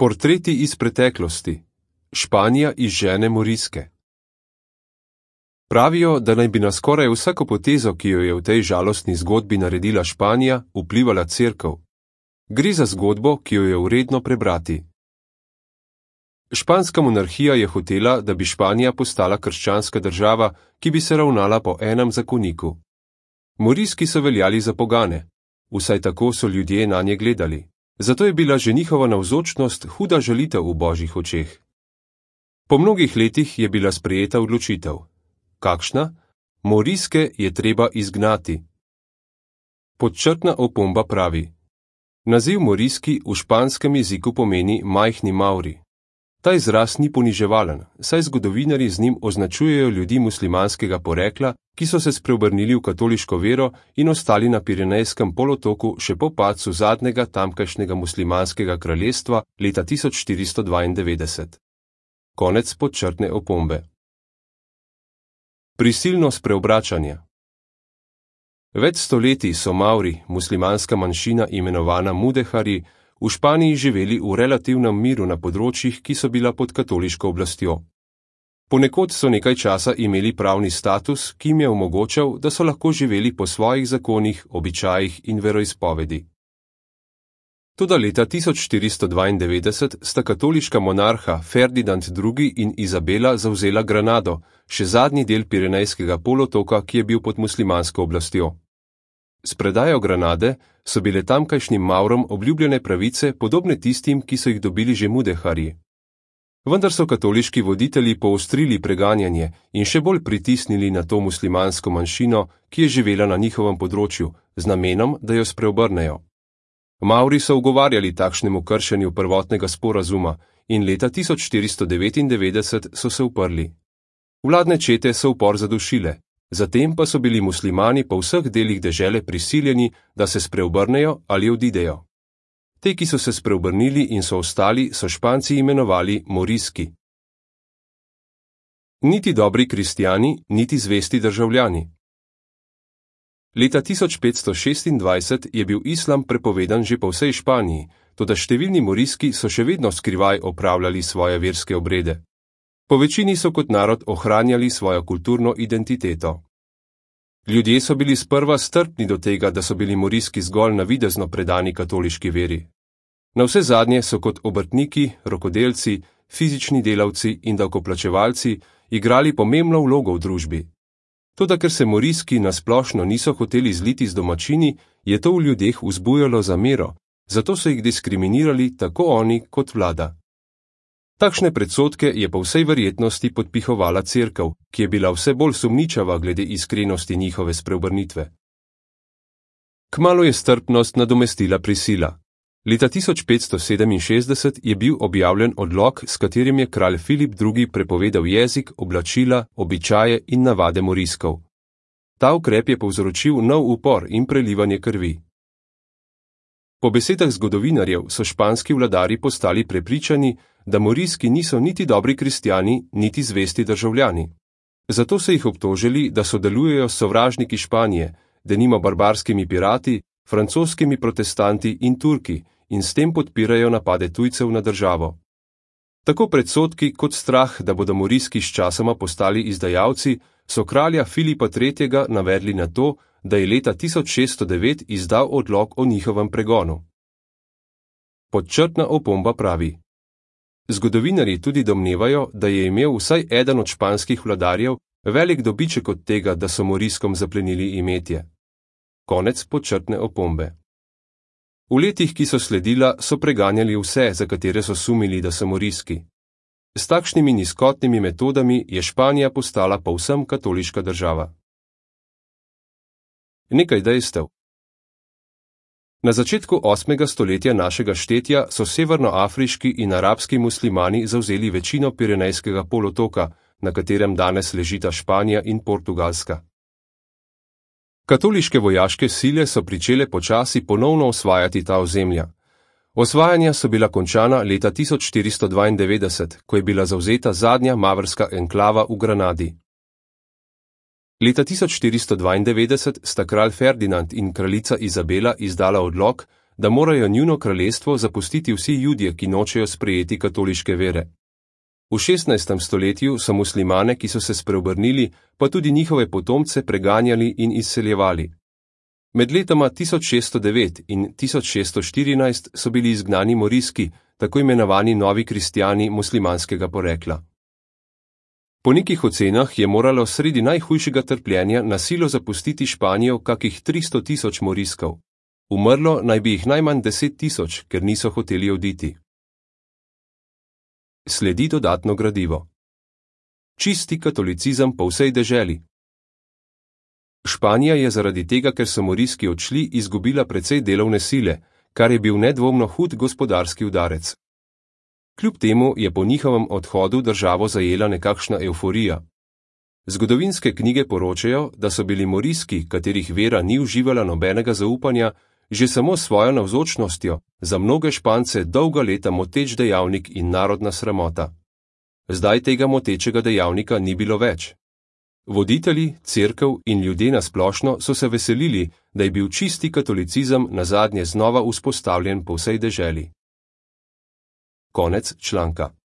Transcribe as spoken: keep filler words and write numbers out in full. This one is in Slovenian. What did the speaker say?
Portreti iz preteklosti. Španija izžene Moriske. Pravijo, da naj bi na skoraj vsako potezo, ki jo je v tej žalostni zgodbi naredila Španija, vplivala cerkev. Gre za zgodbo, ki jo je vredno prebrati. Španska monarhija je hotela, da bi Španija postala krščanska država, ki bi se ravnala po enem zakoniku. Moriski so veljali za pogane. Vsaj tako so ljudje nanje gledali. Zato je bila že njihova navzočnost huda žalitev v božjih očeh. Po mnogih letih je bila sprejeta odločitev. Kakšna? Moriske je treba izgnati. Podčrtna opomba pravi. Naziv Moriski v španskem jeziku pomeni majhni Mauri. Ta izraz ni poniževalen, saj zgodovinarji z njim označujejo ljudi muslimanskega porekla, ki so se spreobrnili v katoliško vero in ostali na Pirenejskem polotoku še po padcu zadnjega tamkajšnjega muslimanskega kraljestva leta tisoč štiristo dvaindevetdeset. Konec podčrtne opombe. Prisilno spreobračanje. Več stoletij so Mauri, muslimanska manjšina imenovana Mudehari, v Španiji živeli v relativnem miru na področjih, ki so bila pod katoliško oblastjo. Ponekod so nekaj časa imeli pravni status, ki jim je omogočal, da so lahko živeli po svojih zakonih, običajih in veroizpovedi. Toda leta tisoč štiristo dvaindevetdeset sta katoliška monarha Ferdinand drugi in Izabela zavzela Granado, še zadnji del Pirenejskega polotoka, ki je bil pod muslimansko oblastjo. S predajo Granade so bile tamkajšnjim Maurom obljubljene pravice, podobne tistim, ki so jih dobili že Mudeharji. Vendar so katoliški voditelji poostrili preganjanje in še bolj pritisnili na to muslimansko manjšino, ki je živela na njihovem področju, z namenom, da jo spreobrnejo. Mauri so ugovarjali takšnemu kršenju prvotnega sporazuma in leta tisoč štiristo devetindevetdeset so se uprli. Vladne čete so upor zadušile. Zatem pa so bili muslimani po vseh delih dežele prisiljeni, da se spreobrnejo ali odidejo. Te, ki so se spreobrnili in so ostali, so Španci imenovali Moriski. Niti dobri kristjani, niti zvesti državljani. Leta tisoč petsto šestindvajset je bil islam prepovedan že po vsej Španiji, toda številni Moriski so še vedno skrivaj opravljali svoje verske obrede. Po večini so kot narod ohranjali svojo kulturno identiteto. Ljudje so bili sprva strpni do tega, da so bili Moriski zgolj navidezno predani katoliški veri. Navsezadnje so kot obrtniki, rokodelci, fizični delavci in davkoplačevalci igrali pomembno vlogo v družbi. Toda ker se Moriski nasplošno niso hoteli zliti z domačini, je to v ljudeh vzbujalo zamero, zato so jih diskriminirali tako oni kot vlada. Takšne predsodke je po vsej verjetnosti podpihovala cerkev, ki je bila vse bolj sumničava glede iskrenosti njihove spreobrnitve. Kmalu je strpnost nadomestila prisila. Leta tisoč petsto sedeminšestdeset je bil objavljen odlok, s katerim je kralj Filip drugi prepovedal jezik, oblačila, običaje in navade Moriskov. Ta ukrep je povzročil nov upor in prelivanje krvi. Po besedah zgodovinarjev so španski vladarji postali prepričani, da Moriski niso niti dobri kristjani, niti zvesti državljani. Zato so jih obtožili, da sodelujejo s sovražniki Španije, denimo barbarskimi pirati, francoskimi protestanti in Turki, in s tem podpirajo napade tujcev na državo. Tako predsodki kot strah, da bodo Moriski sčasoma postali izdajalci, so kralja Filipa tretjega navedli na to, da je leta tisoč šeststo devet izdal odlok o njihovem pregonu. Podčrtna opomba pravi. Zgodovinarji tudi domnevajo, da je imel vsaj eden od španskih vladarjev velik dobiček od tega, da so Moriskom zaplenili imetje. Konec podčrtne opombe. V letih, ki so sledila, so preganjali vse, za katere so sumili, da so Moriski. S takšnimi nizkotnimi metodami je Španija postala povsem katoliška država. Nekaj dejstev. Na začetku osmega stoletja našega štetja so severnoafriški in arabski muslimani zavzeli večino Pirenejskega polotoka, na katerem danes ležita Španija in Portugalska. Katoliške vojaške sile so pričele počasi ponovno osvajati ta ozemlja. Osvajanja so bila končana leta tisoč štiristo dvaindevetdeset, ko je bila zavzeta zadnja mavrska enklava v Granadi. Leta tisoč štiristo dvaindevetdeset sta kralj Ferdinand in kraljica Izabela izdala odlok, da morajo njuno kraljestvo zapustiti vsi Judje, ki nočejo sprejeti katoliške vere. V šestnajstem stoletju so muslimane, ki so se spreobrnili, pa tudi njihove potomce preganjali in izseljevali. Med letoma tisoč šeststo devet in tisoč šeststo štirinajst so bili izgnani morijski, tako imenovani novi kristjani muslimanskega porekla. Po nekih ocenah je moralo sredi najhujšega trpljenja na silo zapustiti Španijo kakih tristo tisoč moriskov. Umrlo naj bi jih najmanj deset tisoč, ker niso hoteli oditi. Sledi dodatno gradivo. Čisti katolicizem po vsej deželi. Španija je zaradi tega, ker so moriski odšli, izgubila precej delovne sile, kar je bil nedvomno hud gospodarski udarec. Kljub temu je po njihovem odhodu državo zajela nekakšna evforija. Zgodovinske knjige poročajo, da so bili moriski, katerih vera ni uživala nobenega zaupanja, že samo svojo navzočnostjo za mnoge Špance dolga leta moteč dejavnik in narodna sramota. Zdaj tega motečega dejavnika ni bilo več. Voditelji, cerkev in ljudje nasplošno so se veselili, da je bil čisti katolicizem nazadnje znova vzpostavljen po vsej deželi. Konec članka.